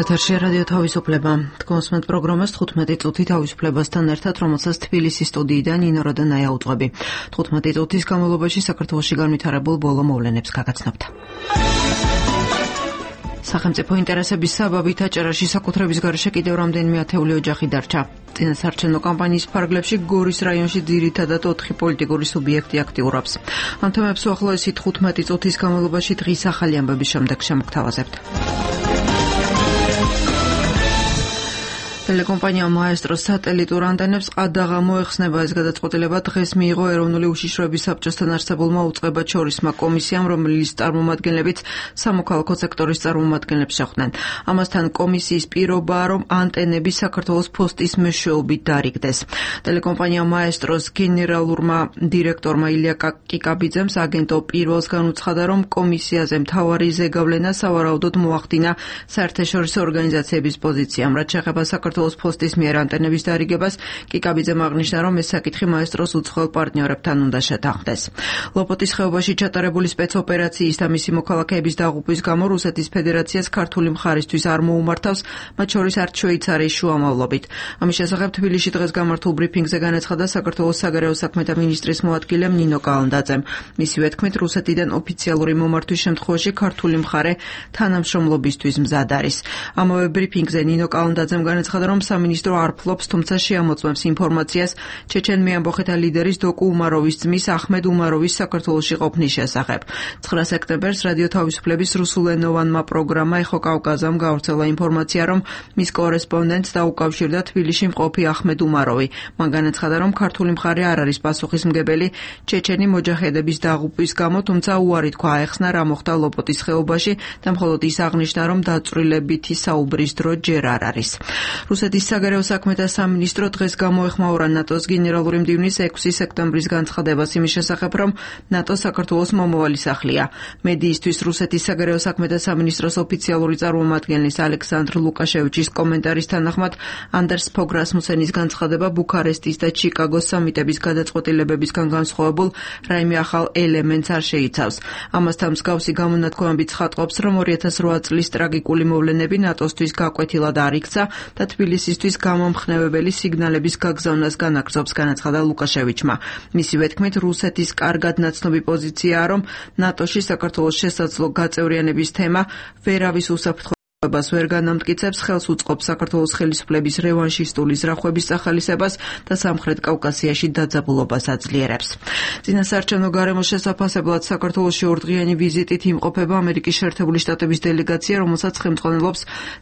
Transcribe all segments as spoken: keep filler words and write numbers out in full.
ეთერში რადიო თავისუფლება. Თქვენს პროგრამას თხუთმეტი წუთი თავისუფლებასთან ერთად, რომელსაც თბილისის სტუდიიდან ნინო როდანაია უძღვები. თხუთმეტი წუთის განმავლობაში საქართველოში განვითარებულ ბოლო მოვლენებს გაგაცნობთ. სახელმწიფო ინტერესების საბაბით აჭარაში საკუთრების გარეშე კიდევ რამდენიმე ათეული ოჯახი დარჩა. წინასაარჩევნო კამპანიის ფარგლებში გორის რაიონში ძირითადად ოთხი პოლიტიკური სუბიექტი აქტიურობს. ამ თემებს უახლოესი თხუთმეტი წუთის განმავლობაში დღის ახალი ამბების შემდეგ შემოგთავაზებთ. Telecompanija Maestro სატელიტურ ანტენებს ყადაღა მოეხსნება. ეს გადაწყვეტილება დღეს მიიღო ეროვნული უშიშროების საბჭოსთან არსებულმა უწყებად შორისმა კომისიამ, რომლის წარმომადგენლებიც სამოქალაქო სექტორის წარმომადგენლებს შეხვდნენ. ამასთან კომისიის პირობაა, რომ ანტენები საქართველოს ფოსტის მეშვეობით დარიგდეს. Telecompanija Maestro's გენერალურმა დირექტორმა ილია კიკაბიძემ აგენტო პირველს განუცხადა, რომ კომისიაზე მთავარი ზეგავლენა სავარაუდოდ მოახდინა საერთაშორისო ორგანიზაციების პოზიციამ, რაც შეეხება საქართველოს ფოსტის მიერ ანტენების დარიგებას. კიკაბიძემ აღნიშნა, რომ ეს საკითხი მაესტროს უცხოელ პარტნიორებთან უნდა შეთანხმდეს. ლოპოტის ხეობაში ჩატარებული სპეცოპერაციის და მისი მოქალაქეების დაღუპვის გამო რუსეთის ფედერაციას ქართული მხარისთვის არ მოუმართავს, მათ შორის არც შვეიცარიის შუამავლობით. ამის შესახებ თბილისში დღეს გამართულ ბრიფინგზე განაცხადა საქართველოს საგარეო საქმეთა მინისტრის მოადგილემ ნინო კალანდაძემ. მისივე თქმით, რუსეთიდან ოფიციალური მომართვის შემთხვევაში ქართული მხარე თანამშრომლობისთვის მზად არის. ამავე ბრიფინგზე ნინო კალანდაძემ განაცხადა, რომ სამინისტრო არ ფლობს, თუმცა შეამოწმებს ინფორმაციას ჩეჩენ მეამბოხეთა ლიდერის დოკუ უმაროვის ძმის ახმედ უმაროვის საქართველოში ყოფნის შესახებ. ცხრა სექტემბერს რადიო თავისუფლების რუსულენოვანმა პროგრამა ეხო კავკაზამ გავრცელა ინფორმაცია, რომ მის კორესპონდენტს დაუკავშირდა თბილისში მყოფი ახმედ უმაროვი. მან განაცხადა, რომ ქართული მხარე არ არის პასუხისმგებელი ჩეჩენი მოჯაჰედების დაღუპვის გამო, თუმცა უარი თქვა აეხსნა რა მოხდა ლოპოტის ხეობაში და მხოლოდ ის აღნიშნა, რომ დაწვრილებითი საუბრის დრო ჯერ არ არის. რუსეთის საგარეო საქმეთა სამინისტრო დღეს გამოეხმაურა ნატოს გენერალური მდივნის ექვსი სექტემბრის განცხადებას იმის შესახებ, რომ ნატო საქართველოს მომავალი სახლია. მედიისთვის რუსეთის საგარეო საქმეთა სამინისტროს ოფიციალური წარმომადგენლის ალექსანდრ ლუკაშევიჩის კომენტარის თანახმად, ანდერს ფოგ რასმუსენის განცხადება ბუქარესტის და ჩიკაგოს სამიტების გადაწყვეტილებებისგან განსხვავებულ რაიმე ახალ ელემენტს არ შეიცავს. ამასთან მსგავსი გამონათქვამებით ცხადყოფს, რომ ორი ათას რვა წლის ტრაგიკული მოვლენები ნატოსთვის გაკვეთილად არ იქცა და თბილისისთვის გამომხნევებელი სიგნალების გაგზავნას განაგრძობს, განაცხადა ლუკაშევიჩმა. მისივე თქმით, რუსეთის კარგად ნაცნობი პოზიციაა, რომ ნატოში საქართველოს შესაძლო გაწევრიანების თემა ვერავის უსაფრთხო ბას ვერ განამტკიცებს, ხელს უწყობს საქართველოს ხელისუფლების რევანშისტული ზრახვების სახალისებას და სამხრეთ კავკასიაში დაძაბულობას აძლიერებს. წინასაარჩევნო გარემოს შესაფასებლად საქართველოში ორდღიანი ვიზიტით იმყოფება ამერიკის შეერთებული შტატების დელეგაცია, რომელსაც ხელმძღვანელობს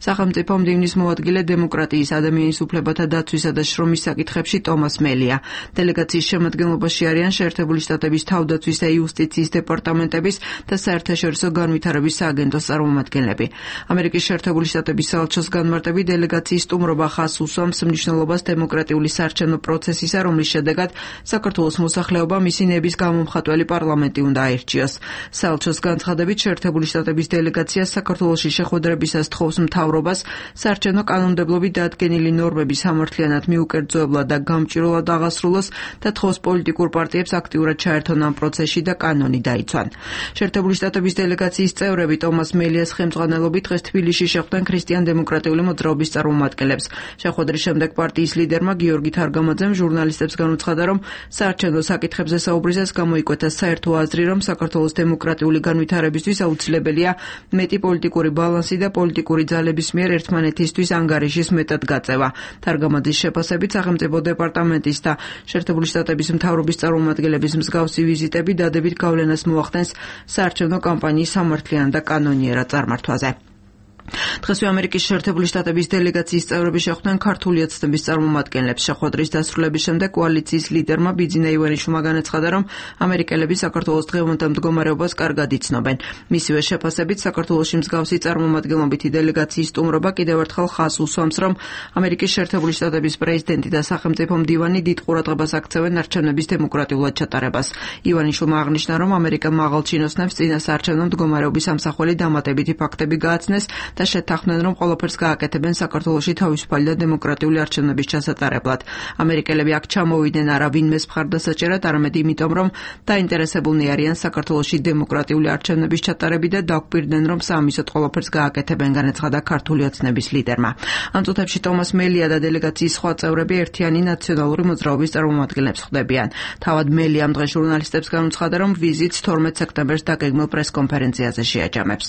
სახელმწიფო მდივნის მოადგილე დემოკრატიის, ადამიანის უფლებათა დაცვისა და შრომის საკითხებში ტომას მელია. დელეგაციის შემადგენლობაში არიან შეერთებული შტატების თავდაცვის და იუსტიციის დეპარტამენტების და საერთაშორისო განვითარების სააგენტოს წარმომადგენლები. ამერიკის შეერთებული შტატების საელჩოს განმარტებით დელეგაციის სტუმრობა ხაზს უსვამს მნიშვნელობას დემოკრატიული საარჩევნო პროცესისა, რომლის შედეგად საქართველოს მოსახლეობა მისი ნების გამომხატველი პარლამენტი უნდა აირჩიოს. საელჩოს განცხადებით შეერთებული შტატების დელეგაცია საქართველოში შეხვედრებისას თხოვს მთავრობას საარჩევნო კანონმდებლობით დადგენილი ნორმების სამართლიანად მიუკერძოებლად და გამჭვირვალად აღასრულოს და თხოვს პოლიტიკურ პარტიებს აქტიურად ჩაერთონ ამ პროცესში და კანონი დაიცვან. შეერთებული შტატების დელეგაციის წევრები ტომას მელიას ხელმძღვანელობით დღეს თბილისში შეხვდნენ ქრისტიან-დემოკრატიული მოძრაობის წარმომადგენლებს. შეხვედრის შემდეგ პარტიის ლიდერმა გიორგი თარგამაძემ ჟურნალისტებს განუცხადა, რომ საარჩევნო საკითხებზე საუბრისას გამოიკვეთა საერთო აზრი, რომ საქართველოს დემოკრატიული განვითარებისთვის აუცილებელია მეტი პოლიტიკური ბალანსი და პოლიტიკური ძალების მიერ ერთმანეთისთვის ანგარიშის მეტად გაწევა. თარგამაძის შეფასებით სახელმწიფო დეპარტამენტის და შეერთებული შტატების მთავრობის წარმომადგენლების მსგავსი ვიზიტები დადებით გავლენას მოახდენს საარჩევნო კამპანიის სამართლიან და კანონიერად წარმართვაზე. დღესვე ამერიკის შეერთებული შტატების დელეგაციის წევრები შეხვდნენ ქართული ოცნების წარმომადგენლებს. შეხვედრის დასრულების შემდეგ კოალიციის ლიდერმა ბიძინა ივანიშვილმა განაცხადა, რომ ამერიკელები საქართველოს დღევანდელ მდგომარეობას კარგად იცნობენ. მისივე შეფასებით საქართველოში მსგავსი წარმომადგენლობითი დელეგაციის სტუმრობა კიდევ ერთხელ ხაზს უსვამს, რომ ამერიკის შეერთებული შტატების პრეზიდენტი და სახელმწიფო მდივანი დიდ ყურადღებას აქცევენ არჩევნების დემოკრატიულად ჩატარებას. ივანიშვილმა აღნიშნა, რომ ამერიკა მაღალ ჩინოსნებს წინასაარჩევნო მდგომარეობის ამსახველი დამატებითი ფაქტები გააცნეს და და შეთანხმდნენ, რომ ყველაფერს გააკეთებენ საქართველოში თავისუფალი და დემოკრატიული არჩევნების ჩასატარებლად. ამერიკელები აქ ჩამოვიდნენ არა ვინმეს მხარდასაჭერად, არამედ იმიტომ, რომ დაინტერესებულნი არიან საქართველოში დემოკრატიული არჩევნების ჩატარებით და დაგვირდნენ, რომ საამისოდ ყველაფერს გააკეთებენ, განაცხადა ქართული ოცნების ლიდერმა. ამ წუთებში ტომას მელია და დელეგაციის სხვა წევრები ერთიანი ნაციონალური მოძრაობის წარმომადგენლებს ხვდებიან. თავად მელი ამ დღეს ჟურნალისტებს განუცხადა, რომ ვიზიტს თორმეტ სექტემბერს დაგეგმილ პრესკონფერენციაზე შეაჯამებს.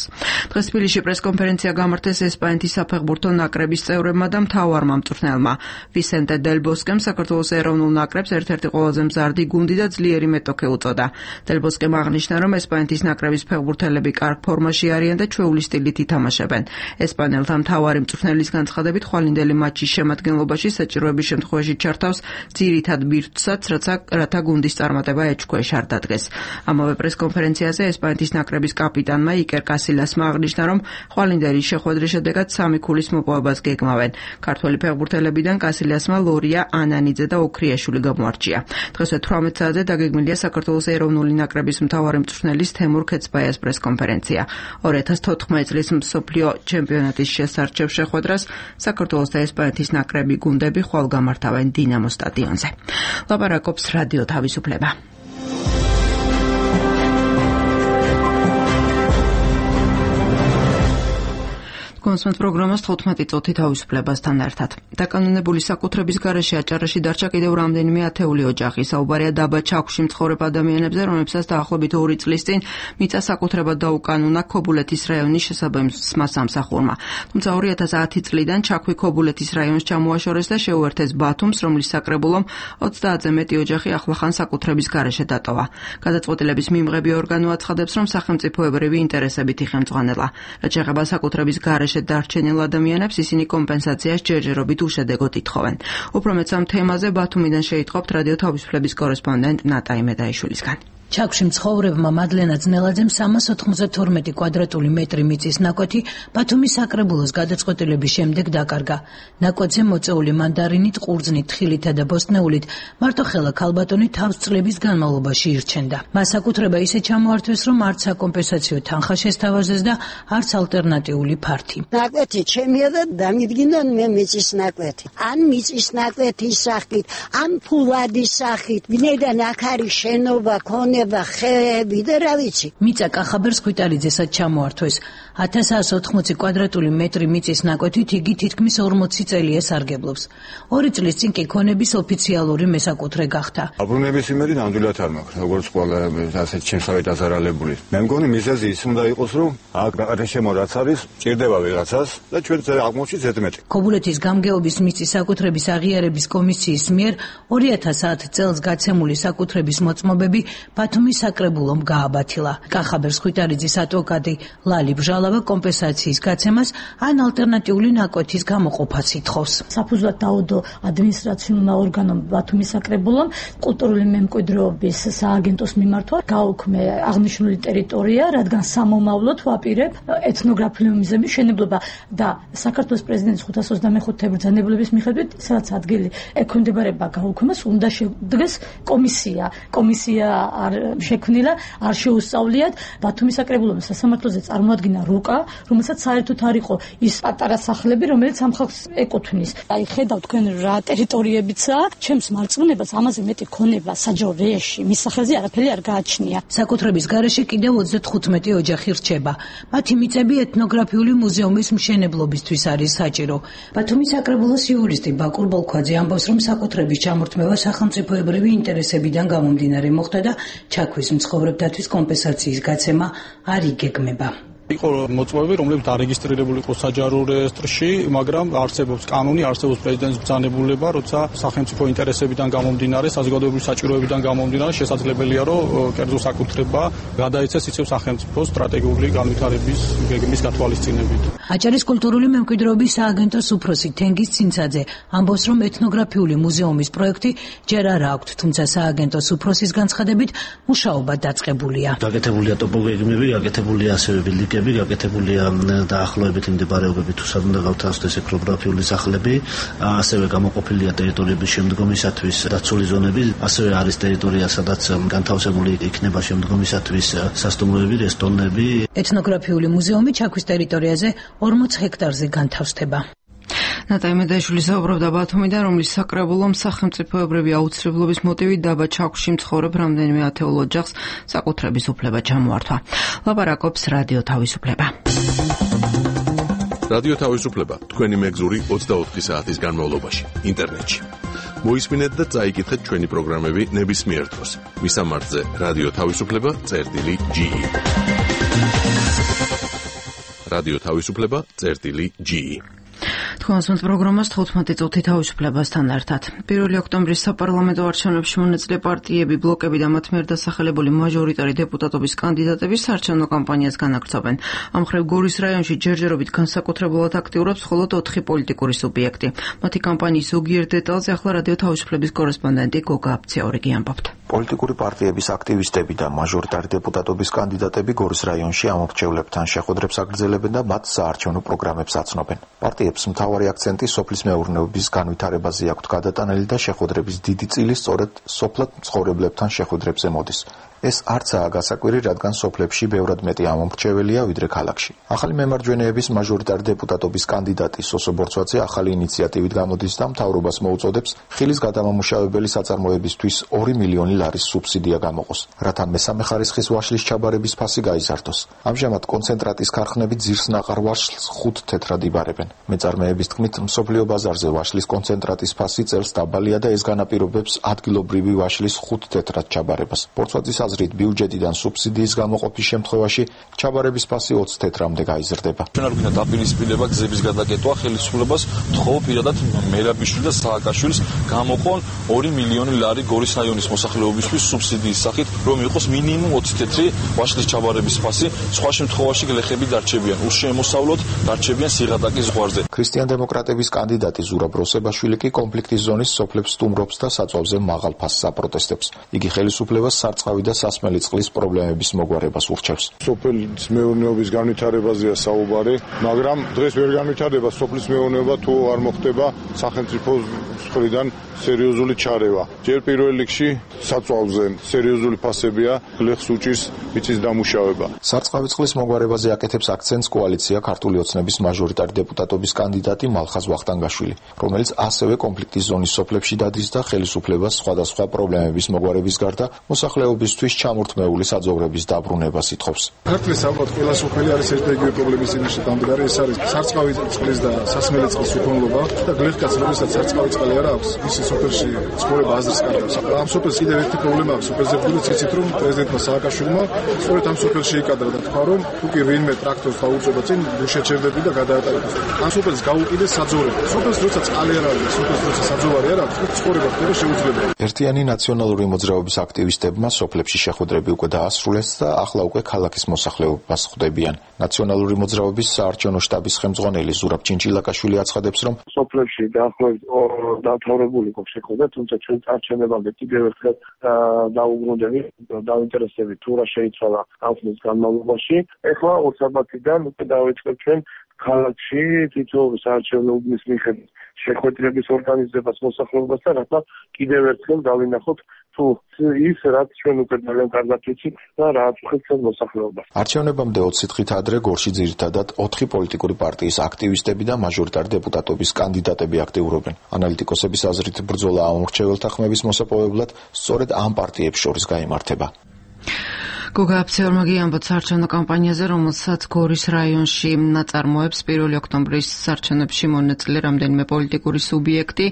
დღეს თბილისში პრესკონფერენცია გამართეს ესპანეთის საფეხბურთო ნაკრების წევრებმა და მთავარმა მწვრთნელმა. ვისენტე დელ ბოსკემ საქართველოს ეროვნულ ნაკრებს ერთ-ერთი ყველაზე მზარდი გუნდი და ძლიერი მეტოქე უწოდა. დელ ბოსკემ აღნიშნა, რომ ესპანეთის ნაკრების ფეხბურთელები კარგ ფორმაში არიან და ჩვეული სტილით ითამაშებენ. ესპანელთა მთავარი მწვრთნელის განცხადებით, ხვალინდელი მატჩის შემადგენლობაში საჭიროების შემთხვევაში ჩართავს ძირითად ბირთვსაც, რათა გუნდის წარმატება ეჭქვეშ არ დადგეს. ამავე პრესკონფერენციაზე ესპანეთის ნაკრების კაპიტანმა იკერ კასილასმა აღნიშნა, რომ ხვალინდელი შეხვედრის შედეგად სამი ქულის მოპოვებას გეგმავენ. ქართველი ფეხბურთელებიდან კასილასმა ლორია ანანიძე და ოქრიაშვილი გამოარჩია. დღესვე თვრამეტ საათზე დაგეგმილია საქართველოს ეროვნული ნაკრების მთავარი მწვრთნელის თემურ ქეცბაიას პრესკონფერენცია. ორი ათას თოთხმეტი წლის მსოფლიო ჩემპიონატის შესარჩევ შეხვედრას საქართველოს და ესპანეთის ნაკრები გუნდები ხვალ გამართავენ დინამო სტადიონზე. ლაპარაკობს რადიო თავისუფლება. კონსმეთ პროგრამას თხუთმეტი წუთი თავისუფლებასთან ერთად. დაკანონებული საკუთრების გარეშე აჭარაში დარჩა კიდევ რამდენიმე ათეული ოჯახი. საუბარია დაბა ჩაქვში მცხოვრებ ადამიანებზე, რომლებსაც დაახლოებით ორი წლის წინ მიწა საკუთრებად დაუკანონა ქობულეთის რაიონის შესაბამისმა სამსახურმა. თუმცა ორი ათას ათი წლიდან ჩაქვი ქობულეთის რაიონს ჩამოაშორეს და შეუერთეს ბათუმს, რომლის საკრებულომ ოცდაათზე მეტი ოჯახი ახლახან საკუთრების გარეშე დატოვა. გადაწყვეტილების მიმღები ორგანო აცხადებს, რომ სახელმწიფოებრივი ინტერესებით იხელმძღვანელა. რაც შეეხება საკუთრების გარეშე დარჩენილ ადამიანებს, ისინი კომპენსაციას ჯერჯერობით უშედეგოდ ითხოვენ. უფრო მეც ამ თემაზე ბათუმიდან შეიტყობთ რადიო თავისუფლების კორესპონდენტ ნატა იმედაიშვილისგან. ჩაქვში მცხოვრებმა მადლენა ძნელაძემ სამას ოთხმოცდათორმეტი კვადრატული მეტრი მიწის ნაკვეთი ბათუმის საკრებულოს გადაწყვეტილების შემდეგ დაკარგა. ნაკვეთზე მოწეული მანდარინით, ყურძნით, თხილითა და ბოსტნეულით მარტოხელა ქალბატონი თავსწლების განმავლობაში ირჩენდა. მას საკუთრება ისე ჩამოართვეს, რომ არც საკომპენსაციო თანხა შესთავაზეს და არც ალტერნატიული ფართი. ნაკვეთი ჩემია და დამიდგინდა მე მიწის ნაკვეთი. ან მიწის ნაკვეთის სახით, ან ფულადის სახით, ვინაიდან აქ არის შენობა, ქონება ხეები და რა ვიცი. მიწა კახაბერ სქვიტალიძესაც ჩამოართვეს. ათას ათას ოთხმოცი კვადრატული მეტრი მიწის ნაკვეთით იგი თითქმის ორმოცი წელია სარგებლობს. ორი წლის წინ კი ქონების ოფიციალური მესაკუთრე გახდა. აბრუნების იმედი ნამდვილად არ მაქვს, როგორც ყველა ასეთ ჩემსავე დაზარალებული. მე მგონი მიზეზი ის უნდა იყოს, რომ აქ ბაღარშემო რაც არის, ჭირდება ვიღაცას და ჩვენ აღმოჩნდა ზედმეტი. ქობულეთის გამგეობის მიწის საკუთრების აღიარების კომისიის მიერ ორი ათას ათი წელს გაცემული საკუთრების მოწმობები ბათუმის საკრებულომ გააბათილა. კახაბერ სქვიტალიძის ადვოკატი ლალი ბჟალავა კომპენსაციის გაცემას ან ალტერნატიული ნაკვეთის გამოყოფას ითხოვს. საფუძვლად დაუდო ადმინისტრაციულმა ორგანომ ბათუმის საკრებულომ კულტურული მემკვიდრეობის სააგენტოს მიმართვა გაუქმე აღნიშნული ტერიტორია, რადგან სამომავლოდ ვაპირებ ეთნოგრაფიული მუზეუმის მშენებლობა და საქართველოს პრეზიდენტის ხუთას ოცდამეხუთე ბრძანებულების მიხედვით, სადაც ადგილი ექვემდებარება გაუქმებას, უნდა შედგეს კომისია. კომისია არ შექმნილა, არ შეუსწავლიათ. ბათუმის საკრებულომ სასამართლოზე წარმოადგინა რუკა, რომელსაც საერთოდ არ იყო ის პატარა სახლები, რომელიც ამ ხალხს ეკუთვნის. აი ხედავ თქვენ რა ტერიტორიებიცაა, ჩემს მარწმუნებას ამაზე მეტი ქონება საჯარო რეში მის სახელზე არაფერი არ გააჩნია. საკუთრების გარეშე კიდევ ოცდათხუთმეტი ოჯახი რჩება. მათი მიწები ეთნოგრაფიული მუზეუმის მშენებლობისთვის არის საჭირო. ბათუმის საკრებულოს იურისტი ბაკურ ბოლქვაძე ამბობს, რომ საკუთრების ჩამორთმევა სახელმწიფოებრივი ინტერესებიდან გამომდინარე მოხდა და ჩაქვის მცხოვრებთათვის კომპენსაციის გაცემა არ იგეგმება. იყო მოწმობები, რომლებიც დარეგისტრირებული იყო საჯარო რეესტრში, მაგრამ არსებობს კანონი, არსებობს პრეზიდენტის ბრძანებულება, როცა სახელმწიფო ინტერესებიდან გამომდინარე, საზოგადოებრივი საჭიროებიდან გამომდინარე, შესაძლებელია, რომ კერძო საკუთრება გადაეცეს ისევ სახელმწიფოს სტრატეგიული განვითარების გეგმის გათვალისწინებით. აჭარის კულტურული მემკვიდრეობის სააგენტოს უფროსი თენგიზ ცინცაძე ამბობს, რომ ეთნოგრაფიული მუზეუმის პროექტი ჯერ არ აქვთ, თუმცა სააგენტოს უფროსის განცხადებით მუშაობა დაწყებულია. გაკეთებულია ტოპოგეგმები, გაკეთებულია ასევე ბილდინგი პიკები გაკეთებულია დაახლოებით იმ მდებარეობებით თუ სად უნდა გავთავსდეს ეკროგრაფიული სახლები, ასევე გამოყოფილია ტერიტორიების შემდგომისათვის დაცული ზონები, ასევე არის ტერიტორია, სადაც განთავსებული იქნება შემდგომისათვის სასტუმროები, რესტორნები. ეთნოგრაფიული მუზეუმი ჩაქვის ტერიტორიაზე ორმოც ჰექტარზე განთავსდება. ნატაი მედაიშვილი საუბრობდა ბათუმიდან, რომლის საკრებულომ სახელმწიფოებრივი აუცილებლობის მოტივით დაბა ჩაქვში მცხოვრებ რამდენიმე ათეულ ოჯახს საკუთრების უფლება ჩამოართვა. ლაპარაკობს რადიო თავისუფლება. რადიო თავისუფლება თქვენი მეგზური ოცდაოთხი საათის განმავლობაში ინტერნეტში. მოისმინეთ და წაიკითხეთ ჩვენი პროგრამები ნებისმიერ დროს. მისამართზე რადიო თავისუფლება წერტილი ჯი. რადიო თავისუფლება წერტილი ჯი. თქვენს პროგრამას თხუთმეტი წუთი თავისუფლებასთან ერთად. პირველი ოქტომბრის საპარლამენტო არჩევნებში მონაწილე პარტიები, ბლოკები და მათ მიერ დასახელებული მაჟორიტარი დეპუტატობის კანდიდატები საარჩევნო კამპანიას განაგრძობენ. ამ მხრივ გორის რაიონში ჯერჯერობით განსაკუთრებულად აქტიურობს მხოლოდ ოთხი პოლიტიკური სუბიექტი. მათი კამპანიის ზოგიერთ დეტალზე ახლა რადიო თავისუფლების კორესპონდენტი გოგა აფციაურიგი ამბობთ. პოლიტიკური პარტიების აქტივისტები და მაჟორიტარი დეპუტატობის კანდიდატები გორის რაიონში ამორჩევლებთან შეხვედრებს აგრძელებენ და მათ საარჩევნო პროგრამებს აცნობენ. პარტიებს მთავარი აქცენტი სოფლის მეურნეობის განვითარებაზე აქვთ გადატანილი და შეხვედრების დიდი წილი სწორედ სოფლად მცხოვრებლებთან შეხვედრებზე მოდის. ეს არცაა გასაკვირი, რადგან სოფლებში ბევრად მეტი ამომრჩეველია ვიდრე ქალაქში. ახალი მემარჯვენეების მაჟორიტარი დეპუტატობის კანდიდატი სოსო ბორცვაძე ახალი ინიციატივით გამოდის და მთავრობას მოუწოდებს ხილის გადამამუშავებელი საწარმოებისთვის ორი მილიონი ლარის სუბსიდია გამოყოს, რათა მესამე ხარისხის ვაშლის ჩაბარების ფასი გაიზარდოს. ამჟამად კონცენტრატის ქარხნები ძირსნაყარ ვაშლს ხუთ თეთრად იბარებენ. მეწარმეების თქმით, მსოფლიო ბაზარზე ვაშლის კონცენტრატის ფასი წელს დაბალია და ეს განაპირობებს ადგილობრივი ვაშლის ხუთ თეთრად ჩაბარებას. ბორცვაძის აზრით, ბიუჯეტიდან სუბსიდიის გამოყოფის შემთხვევაში ჩაბარების ფასი ოცი თეთრამდე გაიზრდება. ჩვენ არ გვინდა დაპირისპირება გზების გადაკეთვა, ხელისუფლებას ვთხოვ პირადად მერაბიშვილი და სააკაშვილის გამოყონ ორი მილიონი ლარი გორის რაიონის მოსახლეობისთვის სუბსიდიის სახით, რომ იყოს მინიმუმ ოცი თეთრი ვაშლის ჩაბარების ფასი, სხვა შემთხვევაში გლეხები დარჩებიან, უშემოსავლოდ დარჩებიან სიღატაკის ზღვარზე. ქრისტიან დემოკრატების კანდიდატი ზურაბ როსებაშვილი კი კონფლიქტის ზონის სოფლებს სტუმრობს და საწვავზე მაღალ ფასს აპროტესტებს. იგი ხელისუფლებას სარწყავი და სასმელი წყლის პრობლემების მოგვარებას ურჩევს. სოფლის მეურნეობის განვითარებაზეა საუბარი, მაგრამ დღეს ვერ განვითარდება სოფლის მეურნეობა თუ არ მოხდება სახელმწიფოს მხრიდან სერიოზული ჩარევა. ჯერ პირველ რიგში საწვავზე სერიოზული ფასებია, გლეხს უჭირს მიწის დამუშავება. სარწყავი წყლის მოგვარებაზე აკეთებს აქცენტს კოალიცია ქართული ოცნების მაჟორიტარი დეპუტატობის კანდიდატი მალხაზ ვახტანგაშვილი, რომელიც ასევე კონფლიქტის ზონის სოფლებში დადის და ხელისუფლებას სხვადასხვა პრობლემების მოგვარების გარდა მოსახლეობისთვის ჩამორთმეული საძოვრების დაბრუნებას ითხოვს. ქართლის ალბათ ყველა სოფელი არის ერთდაიგივე პრობლემის წინაშე დამდგარი, ეს არის სარწყავი წყლის და სასმელი წყლის უქონლობა და გლეხკაც როდესაც სარწყავი წყალი არ აქვს, ის სოფელში ცხოვრება აზრს კარგავს. ამ სოფელს კიდევ ერთი პრობლემა აქვს, სოფელზე გულიც იცით რომ პრეზიდენტმა სააკაშვილმა სწორედ ამ სოფელში იკადრა და თქვა რომ თუ კი ვინმე ტრაქტორს დაუწება წინ შეჩერდები და გადაატარებს. ამ სოფელს გაუკიდეს საძოვრები. სოფელს როცა წყალი არ არის, სოფელს როცა საძოვარი არ აქვს, ცხოვრება ხდება შეუძლებელი. ერთიანი ნაციონალური მოძრაობის აქტივისტებმა სოფლებში შეხვედრები უკვე დაასრულეს და ახლა უკვე ქალაქის მოსახლეობას ხვდებიან. ნაციონალური მოძრაობის საარჩევნო შტაბის ხელმძღვანელი ზურაბ ჩინჩილაკაშვილი აცხადებს, რომ სოფლებში დაახლოებით დამთავრებული გვაქვს შეხვედრა, თუმცა ჩვენ წარჩენებამდე კიდევ ერთხელ დაუბრუნდებით, დაინტერესებით თუ რა შეიცვალა ამ ხნის განმავლობაში. ეხლა ოცდაათიდან უკვე დავიწყებ ჩვენ ქალაქში თითოეულ საარჩევნო უბნის მიხედვით შეხვედრების ორგანიზებას მოსახლეობასთან, რათა კიდევ ერთხელ დავინახოთ თუ ის რაც ჩვენ უკვე ძალიან კარგად ვიცით და რაც ხეთს მოსახლეობას. არჩევნებამდე ოცი დღით ადრე გორში ძირითადად ოთხი პოლიტიკური პარტიის აქტივისტები და მაჟორიტარი დეპუტატობის კანდიდატები აქტიურობენ. ანალიტიკოსების აზრით, ბრძოლა ამორჩეველთა ხმების მოსაპოვებლად სწორედ ამ პარტიებს შორის გაიმართება. გოგა აფციაურმა გიამბოთ საარჩევნო კამპანიაზე, რომელსაც გორის რაიონში ნაწარმოებს პირველი ოქტომბრის საარჩევნებში მონაწილე რამდენიმე პოლიტიკური სუბიექტი.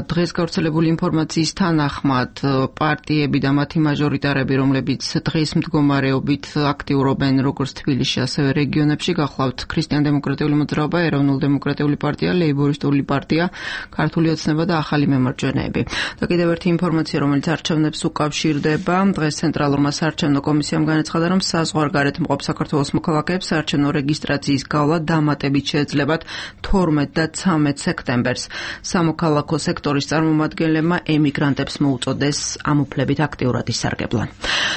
დღეს გავრცელებული ინფორმაციის თანახმად პარტიები და მათი მაჟორიტარები, რომლებიც დღის მდგომარეობით აქტიურობენ როგორც თბილისში, ასევე რეგიონებში, გახლავთ ქრისტიან დემოკრატიული მოძრაობა, ეროვნულ დემოკრატიული პარტია, ლეიბორისტული პარტია, ქართული ოცნება და ახალი მემარჯვენეები. და კიდევ ერთი ინფორმაცია, რომელიც არჩევნებს უკავშირდება, დღეს ცენტრალურმა საარჩევნო კომისიამ განაცხადა, რომ საზღვარგარეთ მყოფ საქართველოს მოქალაქეებს საარჩევნო რეგისტრაციის გავლა დამატებით შეეძლებათ თორმეტ და ცამეტ სექტემბერს. სამოქალაქო სექტორის წარმომადგენლებმა ემიგრანტებს მოუწოდეს ამ უფლებით აქტიურად ისარგებლონ.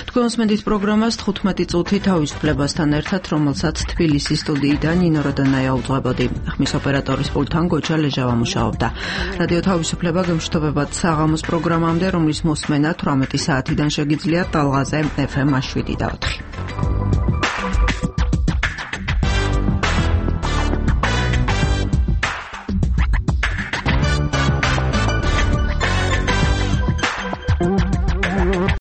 თქვენ უსმენთ პროგრამას თხუთმეტი წუთი თავისუფლებასთან ერთად, რომელსაც თბილისის სტუდიიდან ნინო როდანაია უძღვებოდი. ხმის ოპერატორის პულტთან გოჩა ლეჟავა მუშაობდა. რადიო თავისუფლება გემშვიდობებად საღამოს პროგრამამდე, რომლის მოსმენა თვრამეტი საათიდან შეგიძლიათ ტალღაზე ეფ ემ შვიდი და ოთხი.